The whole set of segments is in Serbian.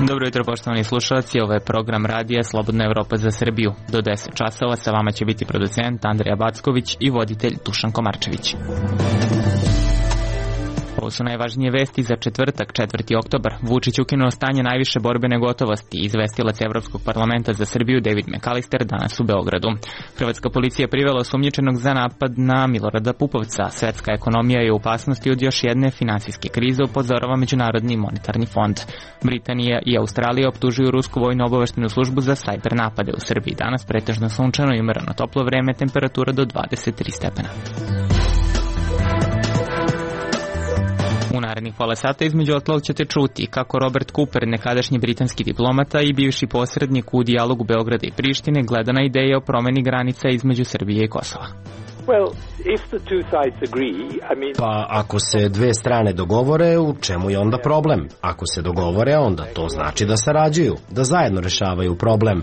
Dobro jutro, poštovani slušalci, ovo je program radija Slobodna Evropa za Srbiju. Do 10 časova sa vama će biti producent Andrija Backović i voditelj Dušan Komarčević. Ovo su najvažnije vesti za četvrtak, 4. oktobar. Vučić ukinuo stanje najviše borbene gotovosti. Izvestilac Evropskog parlamenta za Srbiju David McAllister danas u Beogradu. Hrvatska policija privela osumnjičenog za napad na Milorada Pupovca. Svetska ekonomija je u opasnosti od još jedne finansijske krize, upozorava Međunarodni monetarni fond. Britanija i Australija optužuju rusku vojno-obaveštenu službu za sajber napade u Srbiji. Danas pretežno sunčano i umereno toplo vreme, temperatura do 23 stepena. U narednih pola sata između ostalog ćete čuti kako Robert Cooper, nekadašnji britanski diplomata i bivši posrednik u dijalogu Beograda i Prištine, gleda na ideje o promeni granica između Srbije i Kosova. Pa ako se dve strane dogovore, u čemu je onda problem? Ako se dogovore, onda to znači da sarađuju, da zajedno rešavaju problem.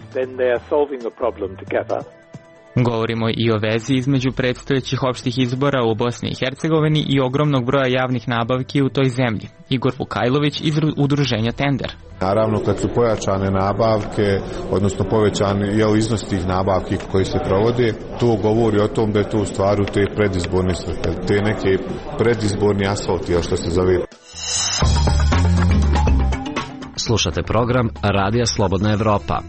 Govorimo i o vezi između predstojećih opštih izbora u Bosni i Hercegovini i ogromnog broja javnih nabavki u toj zemlji. Igor Vukajlović iz udruženja Tender. Naravno, kad su pojačane nabavke, odnosno povećan iznos tih nabavki koji se provode, to govori o tom da je to u stvaru te predizborne svrhe, te neke predizborni asfalti, što se zove. Slušate program Radija Slobodna Evropa.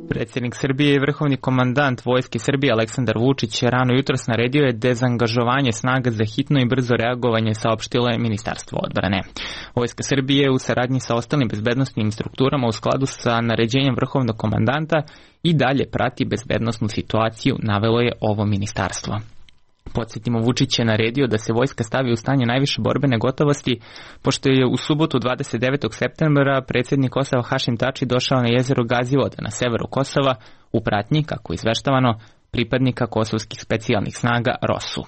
Predsjednik Srbije i vrhovni komandant Vojske Srbije Aleksandar Vučić rano jutros naredio je dezangažovanje snaga za hitno i brzo reagovanje, saopštilo je Ministarstvo odbrane. Vojska Srbije u saradnji sa ostalim bezbednosnim strukturama u skladu sa naređenjem vrhovnog komandanta i dalje prati bezbednosnu situaciju, navelo je ovo ministarstvo. Podsjetimo, Vučić je naredio da se vojska stavi u stanje najviše borbene gotovosti, pošto je u subotu 29. septembra predsjednik Kosova Hašim Tači došao na jezero Gazivode na severu Kosova u pratnji, kako je izveštavano, pripadnika kosovskih specijalnih snaga ROSU.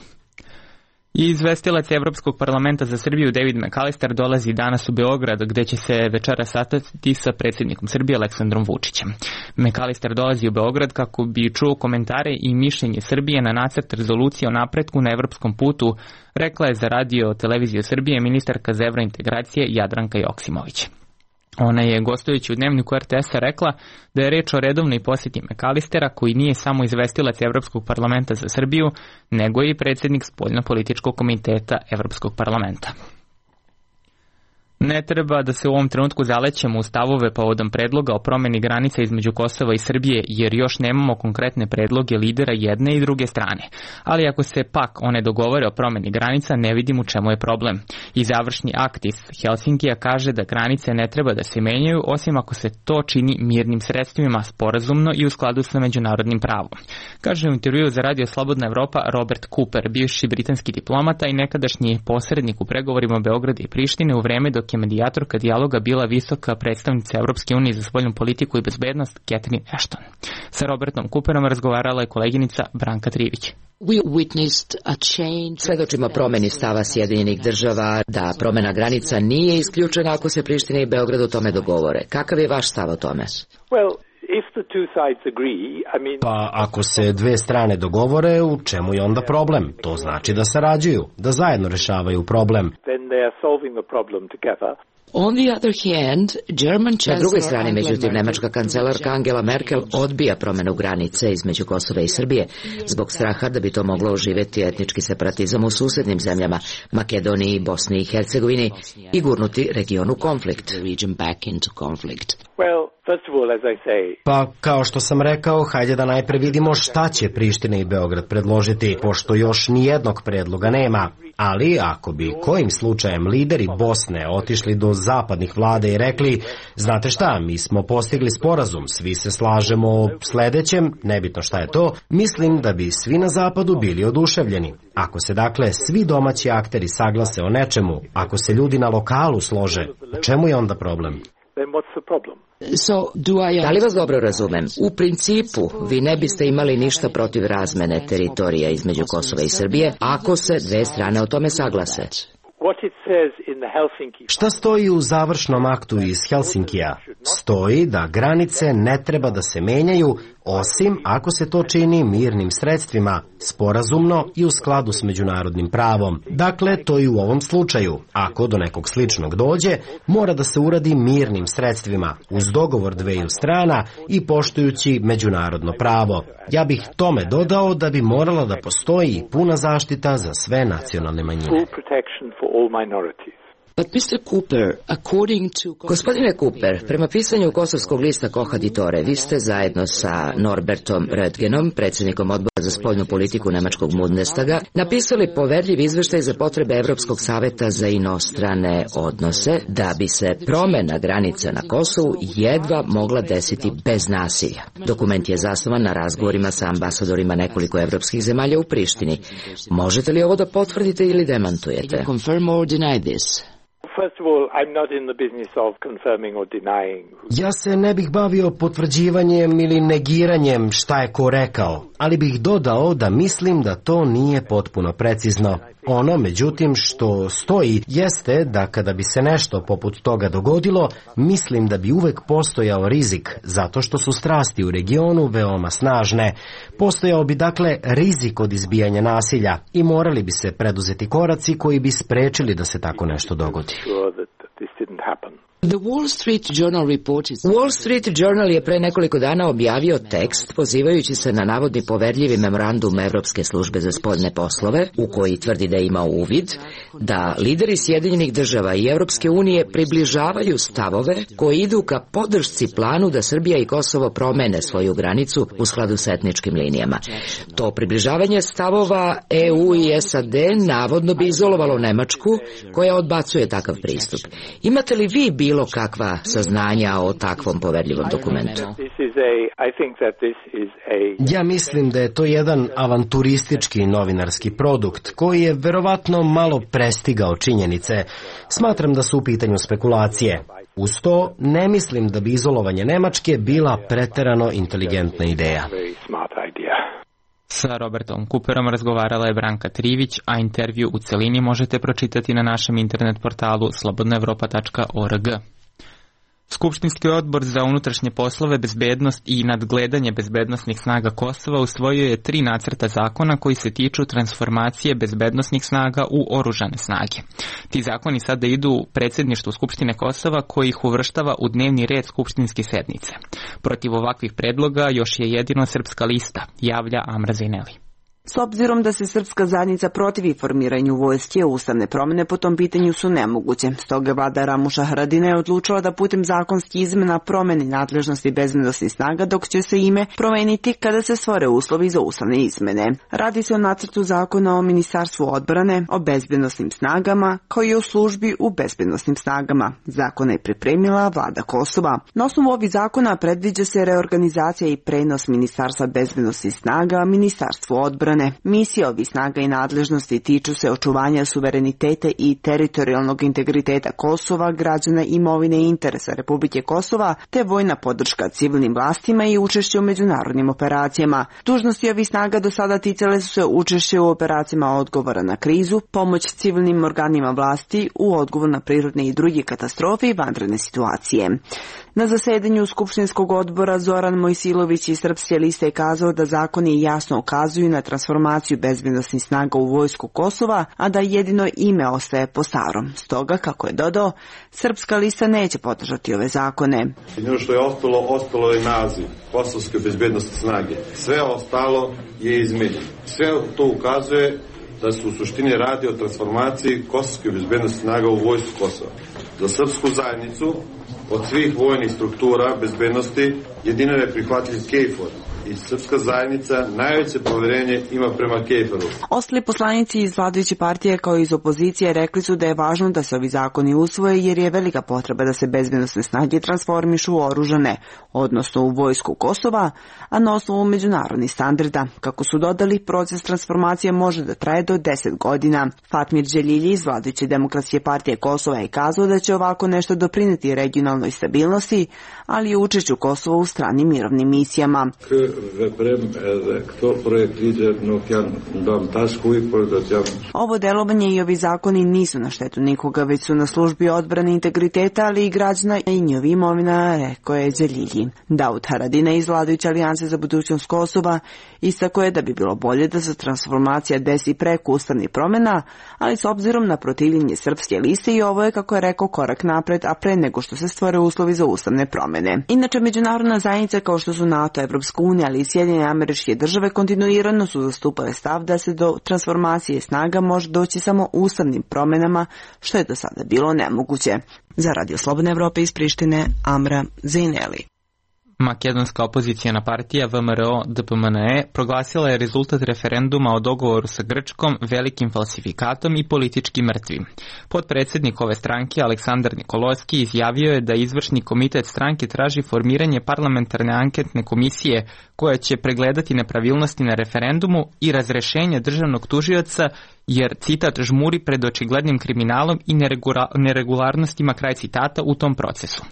I izvestilac Evropskog parlamenta za Srbiju David McAllister dolazi danas u Beograd, gde će se večera sastati sa predsjednikom Srbije Aleksandrom Vučićem. McAllister dolazi u Beograd kako bi čuo komentare i mišljenje Srbije na nacrt rezolucije o napretku na evropskom putu, rekla je za radio televiziju Srbije ministarka za evrointegracije Jadranka Joksimović. Ona je, gostujući u dnevniku RTS-a, rekla da je reč o redovnoj posjeti McAllistera, koji nije samo izvestilac Evropskog parlamenta za Srbiju, nego i predsjednik spoljnopolitičkog komiteta Evropskog parlamenta. Ne treba da se u ovom trenutku zalećemo u stavove povodom predloga o promjeni granica između Kosova i Srbije, jer još nemamo konkretne predloge lidera jedne i druge strane. Ali ako se pak one dogovore o promjeni granica, ne vidim u čemu je problem. I završni akt iz Helsinkija kaže da granice ne treba da se menjaju, osim ako se to čini mirnim sredstvima, sporazumno i u skladu sa međunarodnim pravom. Kaže u intervjuu za Radio Slobodna Evropa Robert Cooper, bivši britanski diplomata i nekadašnji posrednik u pregovorima Beograda i Prištine u vreme dok je medijatorka dijaloga bila visoka predstavnica Evropske unije za spoljnu politiku i bezbednost Catherine Ashton. Sa Robertom Cooperom razgovarala je koleginica Branka Trivić. Svedočimo promjeni stava Sjedinjenih država da promjena granica nije isključena ako se Priština i Beograd o tome dogovore. Kakav je vaš stav o tome? Pa ako se dve strane dogovore, u čemu je onda problem? To znači da sarađuju, da zajedno rešavaju problem. Na drugoj strani, međutim, nemačka kancelarka Angela Merkel odbija promjenu granice između Kosova i Srbije zbog straha da bi to moglo oživjeti etnički separatizam u susjednim zemljama, Makedoniji, Bosni i Hercegovini, i gurnuti region u konflikt. Pa, kao što sam rekao, hajde da najpre vidimo šta će Priština i Beograd predložiti, pošto još nijednog predloga nema. Ali ako bi kojim slučajem lideri Bosne otišli do zapadnih vlada i rekli, znate šta, mi smo postigli sporazum, svi se slažemo o sledećem, nebitno šta je to, mislim da bi svi na zapadu bili oduševljeni. Ako se dakle svi domaći akteri saglase o nečemu, ako se ljudi na lokalu slože, u čemu je onda problem? Da li vas dobro razumem? U principu, vi ne biste imali ništa protiv razmene teritorija između Kosova i Srbije, ako se dve strane o tome saglase. Šta stoji u završnom aktu iz Helsinkija? Stoji da granice ne treba da se menjaju, osim ako se to čini mirnim sredstvima, sporazumno i u skladu s međunarodnim pravom. Dakle, to i u ovom slučaju. Ako do nekog sličnog dođe, mora da se uradi mirnim sredstvima, uz dogovor dveju strana i poštujući međunarodno pravo. Ja bih tome dodao da bi morala da postoji puna zaštita za sve nacionalne manjine. Gospodine Cooper, prema pisanju kosovskog lista Kohaditore, vi ste zajedno sa Norbertom Röttgenom, predsjednikom odbora za spoljnu politiku nemačkog Bundestaga, napisali poverljiv izveštaj za potrebe Evropskog saveta za inostrane odnose, da bi se promena granica na Kosovu jedva mogla desiti bez nasilja. Dokument je zasnovan na razgovorima sa ambasadorima nekoliko evropskih zemalja u Prištini. Možete li ovo da potvrdite ili demantujete? Ja se ne bih bavio potvrđivanjem ili negiranjem šta je ko rekao, ali bih dodao da mislim da to nije potpuno precizno. Ono, međutim, što stoji jeste da kada bi se nešto poput toga dogodilo, mislim da bi uvek postojao rizik, zato što su strasti u regionu veoma snažne. Postojao bi dakle rizik od izbijanja nasilja i morali bi se preduzeti koraci koji bi sprečili da se tako nešto dogodi. Wall Street Journal je pre nekoliko dana objavio tekst pozivajući se na navodni poverljivi memorandum Evropske službe za spoljne poslove, u koji tvrdi da ima uvid da lideri Sjedinjenih država i Evropske unije približavaju stavove koji idu ka podršci planu da Srbija i Kosovo promene svoju granicu u skladu s etničkim linijama. To približavanje stavova EU i SAD navodno bi izolovalo Nemačku, koja odbacuje takav pristup. Imate li vi bilo kakva saznanja o takvom poverljivom dokumentu? Ja mislim da je to jedan avanturistički novinarski produkt koji je verovatno malo prestigao činjenice. Smatram da su u pitanju spekulacije. Uz to, ne mislim da bi izolovanje Nemačke bila preterano inteligentna ideja. Sa Robertom Cooperom razgovarala je Branka Trivić, a intervju u celini možete pročitati na našem internet portalu slobodnaevropa.org. Skupštinski odbor za unutrašnje poslove, bezbednost i nadgledanje bezbednosnih snaga Kosova usvojio je 3 nacrta zakona koji se tiču transformacije bezbednosnih snaga u oružane snage. Ti zakoni sada idu predsjedništvu Skupštine Kosova koji ih uvrštava u dnevni red skupštinske sednice. Protiv ovakvih predloga još je jedino Srpska lista, javlja Amra Zejneli. S obzirom da se srpska zajednica protivi formiranju vojske, ustavne promjene po tom pitanju su nemoguće. Stoga vlada Ramuša Haradina je odlučila da putem zakonskih izmena promeni nadležnosti bezbednosnih snaga, dok će se ime promeniti kada se stvore uslovi za ustavne izmene. Radi se o nacrtu zakona o Ministarstvu odbrane, o bezbednosnim snagama, kao i o službi u bezbednosnim snagama. Zakona je pripremila vlada Kosova. Na osnovu ovih zakona predviđa se reorganizacija i prenos Ministarstva bezbednosnih snaga Ministarstvu odbrane. Misije ovih snaga i nadležnosti tiču se očuvanja suvereniteta i teritorijalnog integriteta Kosova, građana, imovine i interesa Republike Kosova, te vojna podrška civilnim vlastima i učešće u međunarodnim operacijama. Dužnosti ovih snaga do sada ticale su se učešće u operacijama odgovora na krizu, pomoć civilnim organima vlasti u odgovor na prirodne i druge katastrofe i vanredne situacije. Na zasedanju Skupštinskog odbora Zoran Mojsilović iz Srpske liste je kazao da zakoni jasno ukazuju na transformaciju bezbednosnih snaga u vojsku Kosova, a da jedino ime ostaje po starom. Stoga, kako je dodao, Srpska lista neće podržati ove zakone. Jedino što je ostalo je naziv Kosovske bezbednosne snage. Sve ostalo je izmenjeno. Sve to ukazuje da se u suštini radi o transformaciji Kosovske bezbednosne snaga u vojsku Kosova. Za srpsku zajednicu od svih vojnih struktura bezbednosti jedino je prihvatljiv KFOR i srpska zajednica najveće poverenje ima prema KFOR-u. Ostali poslanici iz vladajuće partije kao i iz opozicije rekli su da je važno da se ovi zakoni usvoje jer je velika potreba da se bezbednosne snage transformišu u oružane, odnosno u vojsku Kosova, a na osnovu međunarodnih standarda. Kako su dodali, proces transformacije može da traje do 10 godina. Fatmir Đelilji iz vladajuće demokratske partije Kosova je kazao da će ovako nešto doprineti regionalnoj stabilnosti, ali i učešću Kosova u stranim mirovnim misijama. K Ovo delovanje i ovi zakoni nisu na štetu nikoga, već su na službi odbrane integriteta, ali i građana i njihovi imovina, rekao je Đelilji. Daud Haradinaj iz vladajuće alijanse za budućnost Kosova istakao je da bi bilo bolje da se transformacija desi preko ustavnih promjena, ali s obzirom na protivljenje srpske liste i ovo je, kako je rekao, korak napred, a pre nego što se stvore uslovi za ustavne promjene. Inače, međunarodna zajednica kao što su NATO, Evropska unija, ali i Sjedinjene Američke Države kontinuirano su zastupale stav da se do transformacije snaga može doći samo ustavnim promjenama, što je do sada bilo nemoguće. Za Radio Slobodne Evrope iz Prištine, Amra Zejneli. Makedonska opozicijana partija VMRO-DPMNE proglasila je rezultat referenduma o dogovoru sa Grčkom velikim falsifikatom i politički mrtvim. Potpredsjednik ove stranke Aleksandar Nikoloski izjavio je da izvršni komitet stranke traži formiranje parlamentarne anketne komisije koja će pregledati nepravilnosti na referendumu i razrešenje državnog tužioca jer, citat, žmuri pred očiglednim kriminalom i neregularnostima, kraj citata, u tom procesu.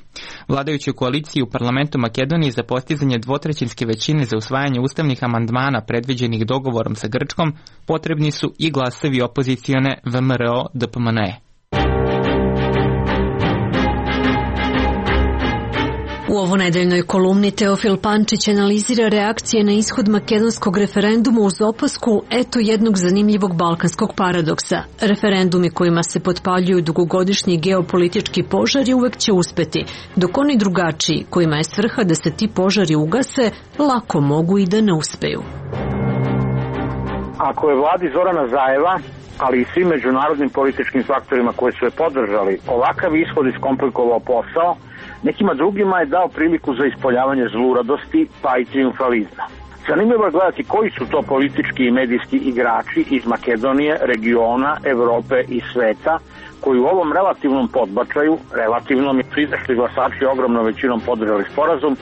Vladajućoj koaliciji u parlamentu Makedonije za postizanje dvotrećinske većine za usvajanje ustavnih amandmana predviđenih dogovorom sa Grčkom potrebni su i glasovi opozicione VMRO-DPMNE. U ovonedeljnoj kolumni Teofil Pančić analizira reakcije na ishod makedonskog referenduma uz opasku eto jednog zanimljivog balkanskog paradoksa. Referendumi kojima se potpaljuju dugogodišnji geopolitički požari uvek će uspeti, dok oni drugačiji, kojima je svrha da se ti požari ugase, lako mogu i da ne uspeju. Ako je vladi Zorana Zajeva, ali i svim međunarodnim političkim faktorima koji su je podržali, ovakav ishod iskomplikovao posao, nekima drugima je dao priliku za ispoljavanje zluradosti pa i triumfalizma. Zanimljivo je gledati koji su to politički i medijski igrači iz Makedonije, regiona, Evrope i sveta koji u ovom relativnom podbačaju, relativnom su izašli glasači ogromnom većinom podržali sporazum,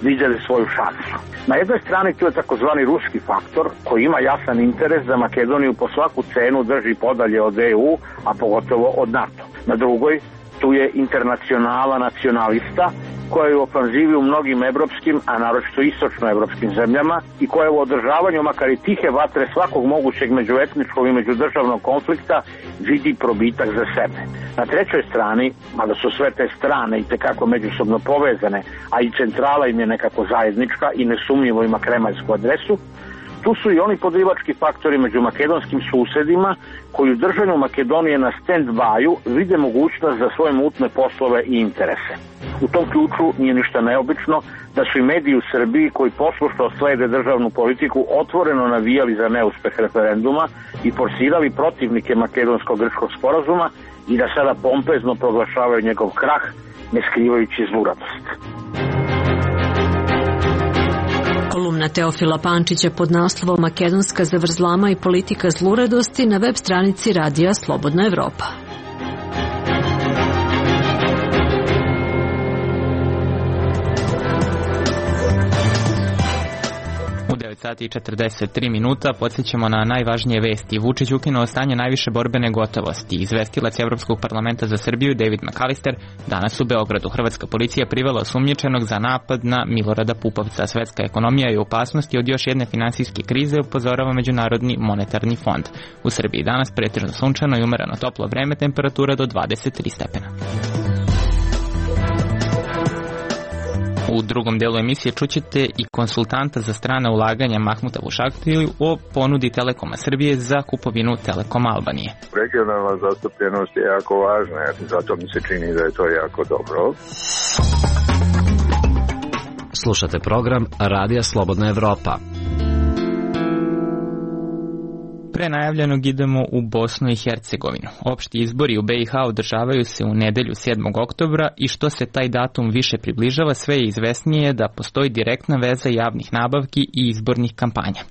vidjeli svoju šansu. Na jednoj strani tu je takozvani ruski faktor koji ima jasan interes da Makedoniju po svaku cenu drži podalje od EU, a pogotovo od NATO. Na drugoj tu je internacionala nacionalista koja je u ofanzivi u mnogim evropskim, a naročito istočnoevropskim zemljama i koja je u održavanju makar i tihe vatre svakog mogućeg međuetničkog i međudržavnog konflikta vidi probitak za sebe. Na trećoj strani, mada su sve te strane i tekako međusobno povezane, a i centrala im je nekako zajednička i nesumnjivo ima kremaljsku adresu, tu su i oni podrivački faktori među makedonskim susedima koji u držanju Makedonije na stand-byu vide mogućnost za svoje mutne poslove i interese. U tom ključu nije ništa neobično da su i mediji u Srbiji koji poslušno slede državnu politiku otvoreno navijali za neuspeh referenduma i forsirali protivnike makedonsko-grčkog sporazuma i da sada pompezno proglašavaju njegov krah, ne skrivajući zluradost. Kolumna Teofila Pančića pod naslovom Makedonska zavrzlama i politika zluradosti na web stranici Radija Slobodna Evropa. U 9 sati i 43 minuta podsjećamo na najvažnije vesti. Vučić ukinuo stanje najviše borbene gotovosti. Izvestilac Evropskog parlamenta za Srbiju David McAllister danas u Beogradu. Hrvatska policija privela osumnjičenog za napad na Milorada Pupovca. Svetska ekonomija je u opasnosti od još jedne finansijske krize, upozorava Međunarodni monetarni fond. U Srbiji danas pretežno sunčano i umereno toplo vreme, temperatura do 23 stepena. U drugom delu emisije čućete i konsultanta za strana ulaganja Mahmuta Vušaktiju o ponudi Telekoma Srbije za kupovinu Telekoma Albanije. Regionalna zastupljenost je jako važna, zato mi se čini da je to jako dobro. Slušate program Radija Slobodna Evropa. Pre najavljenog idemo u Bosnu i Hercegovinu. Opšti izbori u BiH održavaju se u nedelju 7. oktobra i što se taj datum više približava, sve je izvesnije da postoji direktna veza javnih nabavki i izbornih kampanja.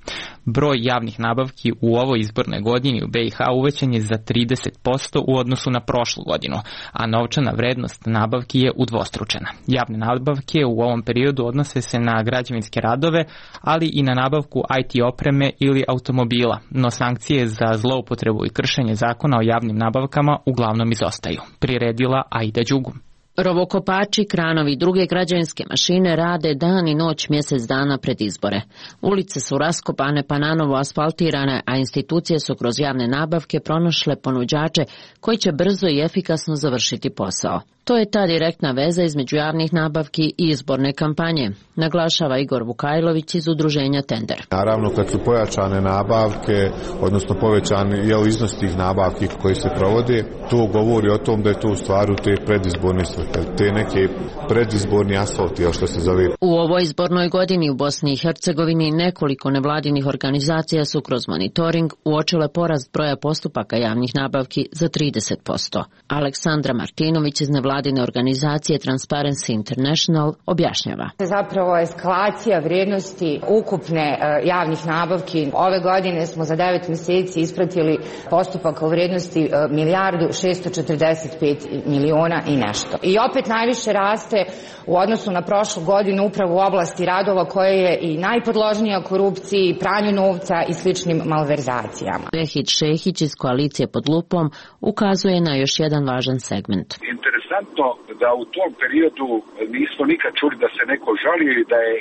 Broj javnih nabavki u ovoj izbornoj godini u BiH uvećan je za 30% u odnosu na prošlu godinu, a novčana vrednost nabavki je udvostručena. Javne nabavke u ovom periodu odnose se na građevinske radove, ali i na nabavku IT opreme ili automobila, no sankcije za zloupotrebu i kršenje zakona o javnim nabavkama uglavnom izostaju. Priredila Aida Đugu. Rovokopači, kranovi i druge građevinske mašine rade dan i noć mjesec dana pred izbore. Ulice su raskopane pa nanovo asfaltirane, a institucije su kroz javne nabavke pronašle ponuđače koji će brzo i efikasno završiti posao. To je ta direktna veza između javnih nabavki i izborne kampanje, naglašava Igor Vukajlović iz udruženja Tender. Naravno, kad su pojačane nabavke, odnosno povećani iznos tih nabavki koji se provode, to govori o tom da je to u stvaru te predizborne svrhe, te neke predizborni asfalti, što se zove. U ovoj izbornoj godini u Bosni i Hercegovini nekoliko nevladinih organizacija su kroz monitoring uočile porast broja postupaka javnih nabavki za 30%. Aleksandra Martinović iz nevladine organizacije Transparency International objašnjava. Zapravo eskalacija vrijednosti ukupne javnih nabavki. Ove godine smo za 9 mjeseci ispratili postupaka u vrijednosti $1.645.000.000 i nešto. I opet najviše raste u odnosu na prošlu godinu upravo u oblasti radova koje je i najpodložnija korupciji, pranju novca i sličnim malverzacijama. Vehid Šehić iz koalicije Pod lupom ukazuje na još jedan važan segment. Interesantno da u tom periodu nismo nikad čuli da se neko žalio i da je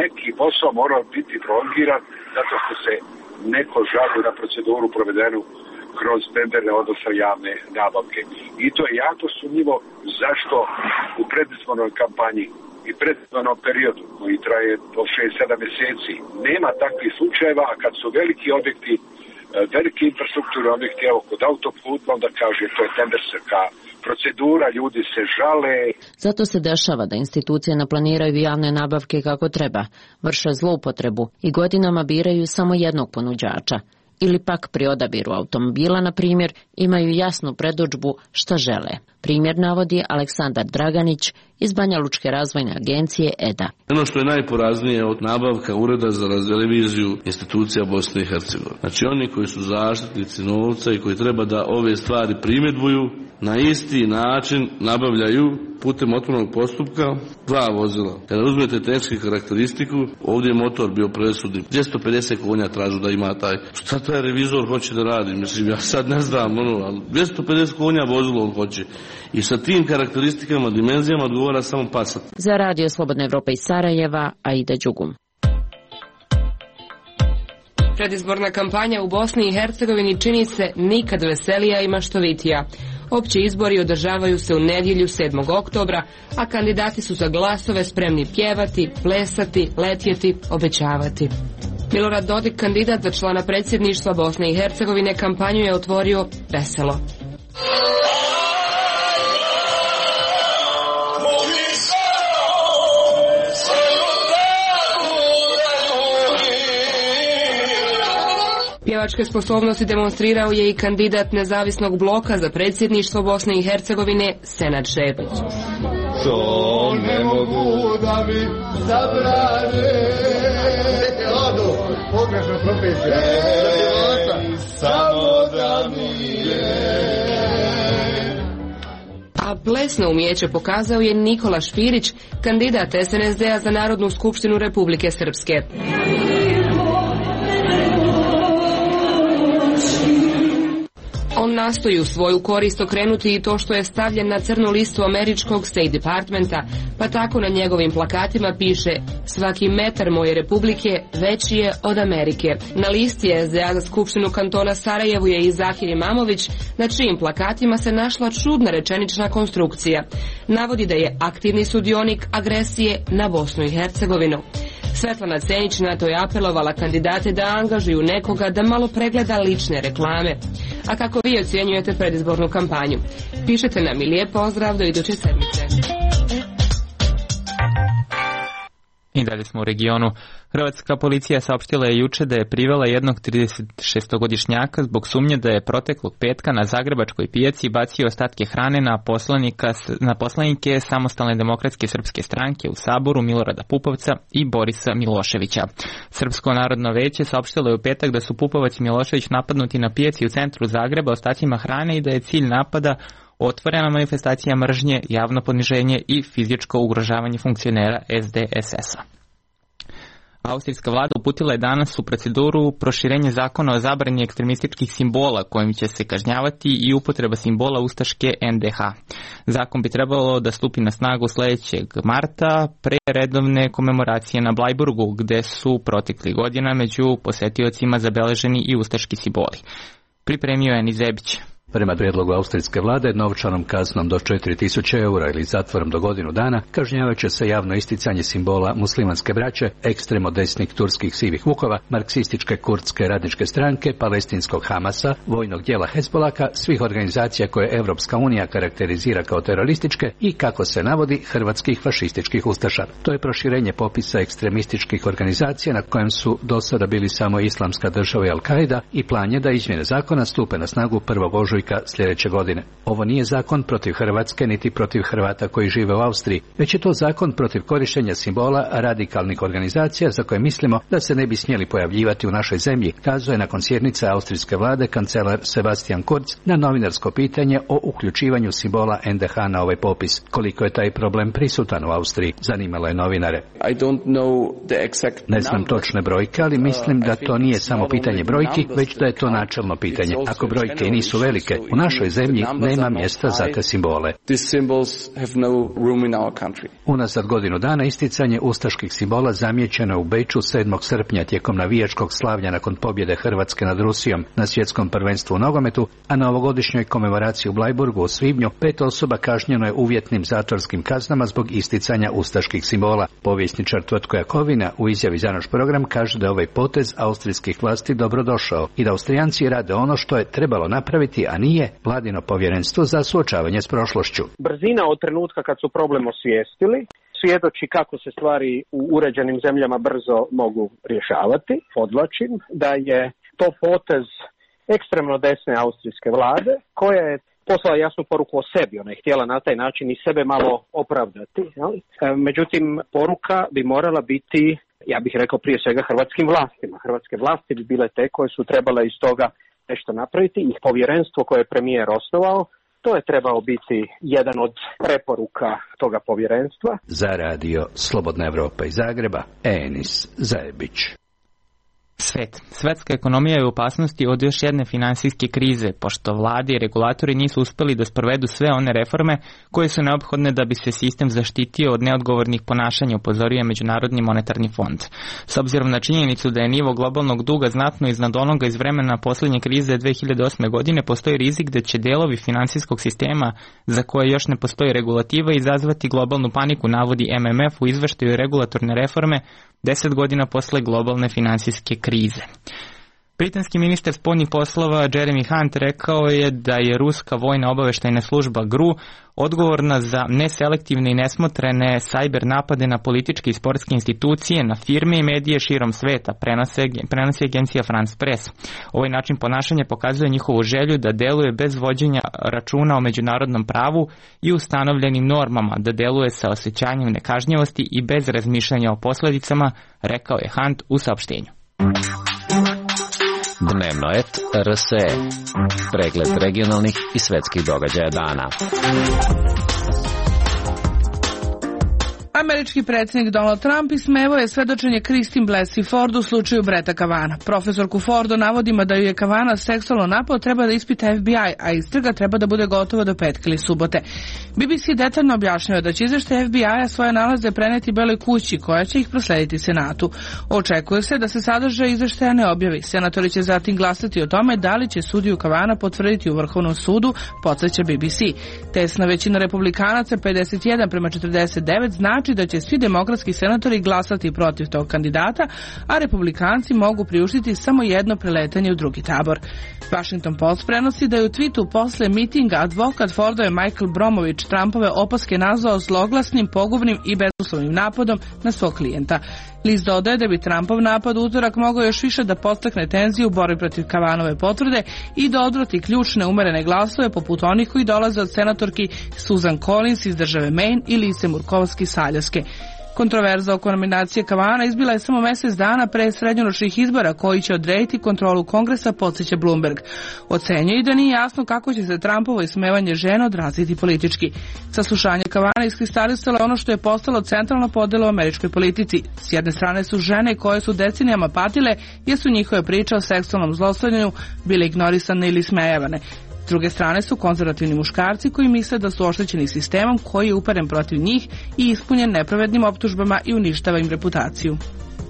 neki posao morao biti prolongiran zato što se neko žalio na proceduru provedenu kroz tenderne, odnosno javne nabavke. I to je jako sumnjivo zašto u predizbornoj kampanji i predizbornom periodu koji traje do 6-7 mjeseci nema takvih slučajeva, a kad su veliki objekti, veliki infrastrukturni objekti, evo kod autoputa, onda kaže to je tenderska procedura, ljudi se žale. Zato se dešava da institucije naplaniraju javne nabavke kako treba, vrše zloupotrebu i godinama biraju samo jednog ponuđača. Ili pak pri odabiru automobila, na primjer, imaju jasnu predodžbu šta žele. Primjer navodi Aleksandar Draganić iz Banja Lučke razvojne agencije EDA. Ono što je najporaznije od nabavka Ureda za reviziju institucija Bosne i Hercegovine. Znači oni koji su zaštitnici novca i koji treba da ove stvari primjedbuju, na isti način nabavljaju putem otvorenog postupka 2 vozila. Kada uzmete tehničku karakteristiku, ovdje je motor bio presudni. 250 konja tražu da ima taj. Šta taj revizor hoće da radi? Mislim, ja sad ne znam, ali 250 konja vozilo on hoće. I sa tim karakteristikama, dimenzijama odgovara samo Passat. Za Radio Slobodna Evropa iz Sarajeva, Aida Đugum. Predizborna kampanja u Bosni i Hercegovini čini se nikad veselija i maštovitija. Opći izbori održavaju se u nedjelju 7. oktobra, a kandidati su za glasove spremni pjevati, plesati, letjeti, obećavati. Milorad Dodik, kandidat za člana predsjedništva Bosne i Hercegovine, kampanju je otvorio veselo. Pjevačke sposobnosti demonstrirao je i kandidat nezavisnog bloka za predsjedništvo Bosne i Hercegovine Senad Šepić. To ne mogu da mi zabrane. Pogrešna profesija. Samo da mi je. A plesno umijeće pokazao je Nikola Špirić, kandidat SNSD-a za Narodnu skupštinu Republike Srpske. On nastoji u svoju korist okrenuti i to što je stavljen na crnu listu američkog State Departmenta, pa tako na njegovim plakatima piše: svaki metar moje republike veći je od Amerike. Na listi SDA za Skupštinu kantona Sarajevo je i Zahir Imamović, na čijim plakatima se našla čudna rečenična konstrukcija. Navodi da je aktivni sudionik agresije na Bosnu i Hercegovinu. Svetlana Cenić na to je apelovala kandidate da angažuju nekoga da malo pregleda lične reklame. A kako vi ocjenjujete predizbornu kampanju? Pišete nam i lijep pozdrav do iduće sedmice. I dalje smo u regionu. Hrvatska policija saopštila je juče da je privela jednog 36-godišnjaka zbog sumnje da je proteklog petka na zagrebačkoj pijaci bacio ostatke hrane na poslanike Samostalne demokratske srpske stranke u Saboru Milorada Pupovca i Borisa Miloševića. Srpsko narodno veće saopštilo je u petak da su Pupovac i Milošević napadnuti na pijaci u centru Zagreba ostacima hrane i da je cilj napada otvorena manifestacija mržnje, javno poniženje i fizičko ugrožavanje funkcionera SDSS-a. Austrijska vlada uputila je danas u proceduru proširenje zakona o zabrani ekstremističkih simbola kojim će se kažnjavati i upotreba simbola ustaške NDH. Zakon bi trebalo da stupi na snagu sledećeg marta pre redovne komemoracije na Blajburgu, gde su protekli godina među posetiocima zabeleženi i ustaški simboli. Pripremio je Nizebić. Prema prijedlogu austrijske vlade, novčanom kaznom do 4000 eura ili zatvorom do godinu dana kažnjavaće se javno isticanje simbola muslimanske braće, ekstremo desnih turskih sivih vukova, marksističke kurdske radničke stranke, palestinskog Hamasa, vojnog dijela Hezbolaka, svih organizacija koje Evropska unija karakterizira kao terorističke i, kako se navodi, hrvatskih fašističkih ustaša. To je proširenje popisa ekstremističkih organizacija na kojem su do sada bili samo Islamska država i Al-Qaida i plan je da izmjene zakona stupe na snagu 1. ožujka sljedeće godine. Ovo nije zakon protiv Hrvatske niti protiv Hrvata koji žive u Austriji, već je to zakon protiv korištenja simbola radikalnih organizacija za koje mislimo da se ne bi smjeli pojavljivati u našoj zemlji, kazao je nakon sjednice austrijske vlade kancelar Sebastian Kurz na novinarsko pitanje o uključivanju simbola NDH na ovaj popis. Koliko je taj problem prisutan u Austriji, zanimalo je novinare. Ne znam točne brojke, ali mislim da to nije samo pitanje brojki, već da je to načelno pitanje. Ako brojke nisu velike, u našoj zemlji nema mjesta za te simbole. Unazad godinu dana isticanje ustaških simbola zamijećeno je u Beču 7. srpnja tijekom navijačkog slavlja nakon pobjede Hrvatske nad Rusijom na svjetskom prvenstvu u nogometu, a na ovogodišnjoj komemoraciji u Blajburgu u svibnju 5 osoba kažnjeno je uvjetnim zatvorskim kaznama zbog isticanja ustaških simbola. Povjesničar Tvrtko Jakovina u izjavi za naš program kaže da je ovaj potez austrijskih vlasti dobrodošao i da Austrijanci rade ono što je trebalo napraviti, a nije vladino povjerenstvo za suočavanje s prošlošću. Brzina od trenutka kad su problem osvijestili svjedoči kako se stvari u uređenim zemljama brzo mogu rješavati. Podvlačim da je to potez ekstremno desne austrijske vlade koja je poslala jasnu poruku o sebi. Ona je htjela na taj način i sebe malo opravdati. Međutim, poruka bi morala biti, ja bih rekao, prije svega hrvatskim vlastima. Hrvatske vlasti bi bile te koje su trebale iz toga nešto napraviti i povjerenstvo koje je premijer osnovao, to je trebao biti jedan od preporuka toga povjerenstva. Za radio Slobodna Evropa iz Zagreba, Enis Zajebić. Svetska ekonomija je u opasnosti od još jedne finansijske krize, pošto vlade i regulatori nisu uspeli da sprovedu sve one reforme koje su neophodne da bi se sistem zaštitio od neodgovornih ponašanja, upozorio je Međunarodni monetarni fond. S obzirom na činjenicu da je nivo globalnog duga znatno iznad onoga iz vremena posljednje krize 2008. godine, postoji rizik da će delovi finansijskog sistema za koje još ne postoji regulativa izazvati globalnu paniku, navodi MMF u izveštaju regulatorne reforme 10 godina posle globalne finansijske krize. Britanski ministar spoljnih poslova Jeremy Hunt rekao je da je ruska vojna obaveštajna služba GRU odgovorna za neselektivne i nesmotrene sajber napade na političke i sportske institucije, na firme i medije širom sveta, prenosi agencija France Press. Ovaj način ponašanja pokazuje njihovu želju da deluje bez vođenja računa o međunarodnom pravu i ustanovljenim normama, da deluje sa osjećanjem nekažnjivosti i bez razmišljanja o posledicama, rekao je Hunt u saopštenju. Dnevno et RSE. Pregled regionalnih i svetskih događaja dana. Američki predsjednik Donald Trump ismevao je svedočenje Christine Blasey Ford u slučaju Bretta Kavanagha. Profesorku Ford o navodima da ju je Kavanagh seksualno napao treba da ispita FBI, a istraga treba da bude gotova do petka ili subote. BBC detaljno objašnjava da će izveštaj FBI-a svoje nalaze preneti Beloj kući, koja će ih proslediti Senatu. Očekuje se da se sadržaj izveštaja ne objavi. Senatori će zatim glasati o tome da li će sudiju Kavanagha potvrditi u Vrhovnom sudu, podsjeća BBC. Tesna većina republikanaca, 51-49, znači da će svi demokratski senatori glasati protiv tog kandidata, a republikanci mogu priuštiti samo jedno preletanje u drugi tabor. Washington Post prenosi da je u tweetu posle mitinga advokat Fordove Michael Bromović Trumpove opaske nazvao zloglasnim, pogubnim i bezuslovnim napadom na svog klijenta. List dodaje da bi Trumpov napad utorak mogao još više da podstakne tenziju u borbi protiv Kavanove potvrde i da odvrati ključne umerene glasove poput onih koji dolaze od senatorki Susan Collins iz države Maine i Lise Murkowski iz Aljaske. Kontroverza oko nominacije Kavana izbila je samo mjesec dana pre srednjoročnih izbora koji će odrediti kontrolu Kongresa, podsjeća Bloomberg. Ocenjuje i da nije jasno kako će se Trumpovo ismevanje žena odraziti politički. Saslušanje Kavana iskristalisalo ono što je postalo centralna podela u američkoj politici. S jedne strane su žene koje su decenijama patile jer su njihove priče o seksualnom zlostavljanju bile ignorisane ili smejavane. S druge strane su konzervativni muškarci koji misle da su oštećeni sistemom koji je uperen protiv njih i ispunjen nepravednim optužbama i uništava im reputaciju.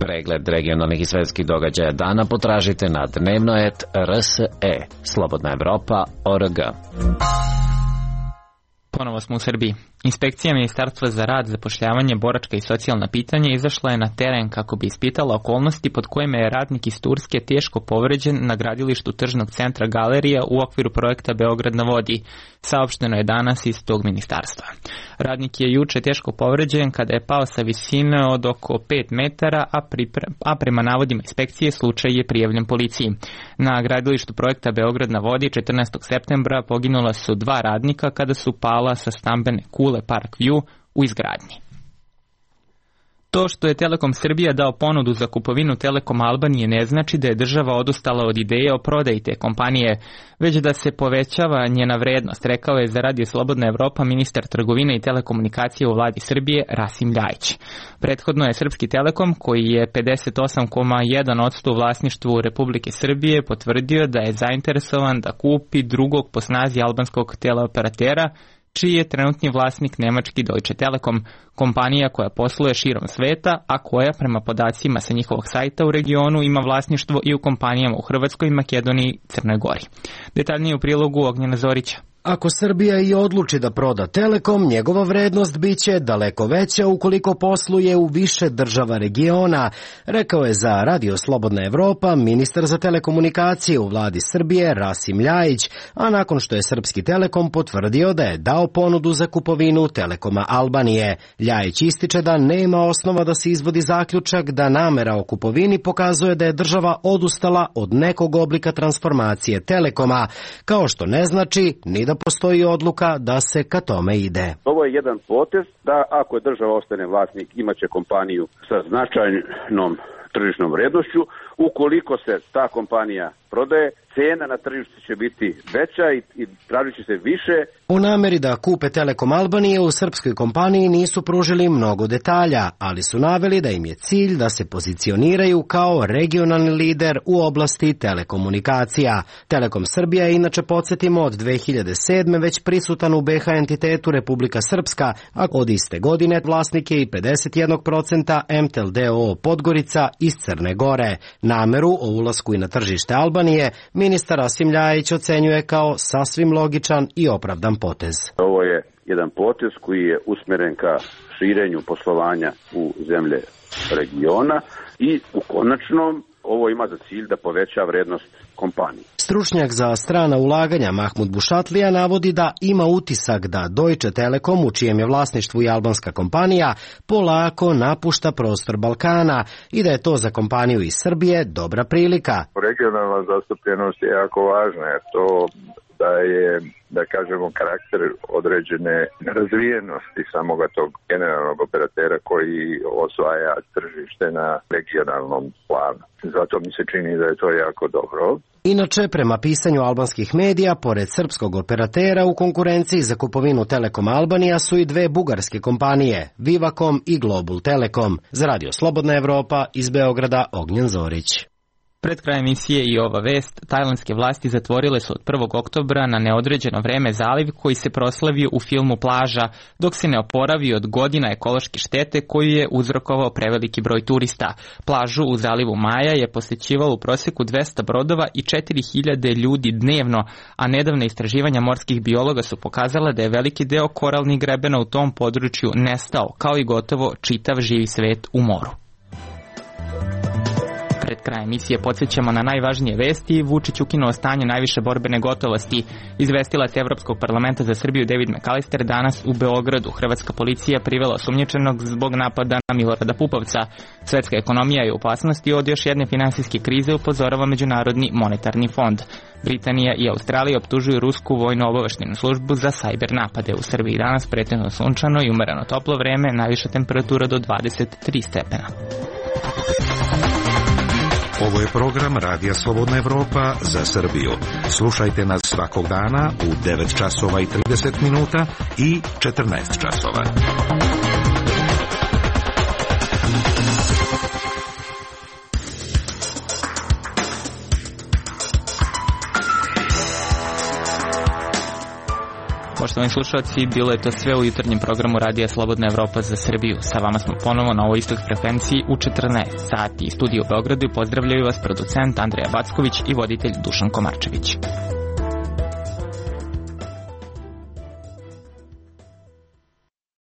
Pregled regionalnih i svetskih događaja dana potražite na dnevno.rs.e. Slobodna Evropa.org. Ponovo smo u Srbiji. Inspekcija Ministarstva za rad, zapošljavanje, boračka i socijalna pitanja izašla je na teren kako bi ispitala okolnosti pod kojima je radnik iz Turske teško povređen na gradilištu tržnog centra Galerija u okviru projekta Beograd na vodi. Saopšteno je danas iz tog ministarstva. Radnik je juče teško povređen kada je pao sa visine od oko 5 metara, a prema navodima inspekcije slučaj je prijavljen policiji. Na gradilištu projekta Beograd na vodi 14. septembra poginula su 2 radnika kada su pala sa stambene kule Park View u izgradnji. To što je Telekom Srbija dao ponudu za kupovinu Telekom Albanije ne znači da je država odustala od ideje o prodaji te kompanije, već da se povećava njena vrednost, rekao je za Radio Slobodna Evropa ministar trgovine i telekomunikacije u vladi Srbije Rasim Ljajić. Prethodno je Srpski Telekom, koji je 58,1% u vlasništvu Republike Srbije, potvrdio da je zainteresovan da kupi drugog po snazi albanskog teleoperatera, čiji je trenutni vlasnik nemački Deutsche Telekom, kompanija koja posluje širom sveta, a koja prema podacima sa njihovog sajta u regionu ima vlasništvo i u kompanijama u Hrvatskoj, Makedoniji i Crnoj Gori. Detaljnije u prilogu Ognjena Zorića. Ako Srbija i odluči da proda Telekom, njegova vrednost biće daleko veća ukoliko posluje u više država regiona, rekao je za Radio Slobodna Evropa ministar za telekomunikacije u vladi Srbije Rasim Ljajić, a nakon što je Srpski Telekom potvrdio da je dao ponudu za kupovinu Telekoma Albanije. Ljajić ističe da nema osnova da se izvodi zaključak da namera o kupovini pokazuje da je država odustala od nekog oblika transformacije Telekoma, kao što ne znači ni da postoji odluka da se ka tome ide. Ovo je jedan potez da ako država ostane vlasnik imaće kompaniju sa značajnom tržišnom vrednošću. Ukoliko se ta kompanija prodaje, cena na tržištu će biti veća i tražit će se više. U nameri da kupe Telekom Albanije u srpskoj kompaniji nisu pružili mnogo detalja, ali su naveli da im je cilj da se pozicioniraju kao regionalni lider u oblasti telekomunikacija. Telekom Srbija je inače, podsjetimo, od 2007. već prisutan u BH entitetu Republika Srpska, a od iste godine vlasnik je i 51% MTEL d.o.o. Podgorica iz Crne Gore. Nameru o ulasku i na tržište Albanije ministar Rasim Ljajić ocenjuje kao sasvim logičan i opravdan potez. Ovo je jedan potez koji je usmeren ka širenju poslovanja u zemlje regiona i u konačnom ovo ima za cilj da poveća vrednost kompanije. Stručnjak za strana ulaganja Mahmud Bušatlija navodi da ima utisak da Deutsche Telekom, u čijem je vlasništvu i albanska kompanija, polako napušta prostor Balkana i da je to za kompaniju iz Srbije dobra prilika. Regionalna zastupljenost je jako važna, jer to da je, da kažemo, karakter određene razvijenosti samoga tog generalnog operatera koji osvaja tržište na regionalnom planu. Zato mi se čini da je to jako dobro. Inače, prema pisanju albanskih medija, pored srpskog operatera u konkurenciji za kupovinu Telekom Albanija su i 2 bugarske kompanije, Vivakom i Global Telekom. Za Radio Slobodna Evropa iz Beograda, Ognjen Zorić. Pred krajem emisije i ova vest, tajlandske vlasti zatvorile su od 1. oktobra na neodređeno vreme zaliv koji se proslavio u filmu Plaža, dok se ne oporavi od godina ekološke štete koju je uzrokovao preveliki broj turista. Plažu u zalivu Maja je posećivalo u proseku 200 brodova i 4000 ljudi dnevno, a nedavne istraživanja morskih biologa su pokazala da je veliki deo koralnih grebena u tom području nestao, kao i gotovo čitav živi svet u moru. Pred kraja emisije podsjećamo na najvažnije vesti. Vučić ukinuo stanje najviše borbene gotovosti. Izvestilac Evropskog parlamenta za Srbiju David McAllister danas u Beogradu. Hrvatska policija privela osumnjičenog zbog napada na Milorada Pupovca. Svetska ekonomija je u opasnosti od još jedne finansijske krize, upozorava Međunarodni monetarni fond. Britanija i Australija optužuju rusku vojno-obaveštenu službu za sajber napade. U Srbiji danas pretežno sunčano i umereno toplo vreme, najviša temperatura do 23 stepena. Ovo je program Radija Slobodna Evropa za Srbiju. Slušajte nas svakog dana u 9 časova i 30 minuta i 14 časova. Poštovani slušalci, bilo je to sve u jutarnjem programu Radija Slobodna Evropa za Srbiju. Sa vama smo ponovo na ovoj istoj frekvenciji u 14 sati. Studiju u Beogradu pozdravljaju vas producent Andreja Backović i voditelj Dušan Komarčević.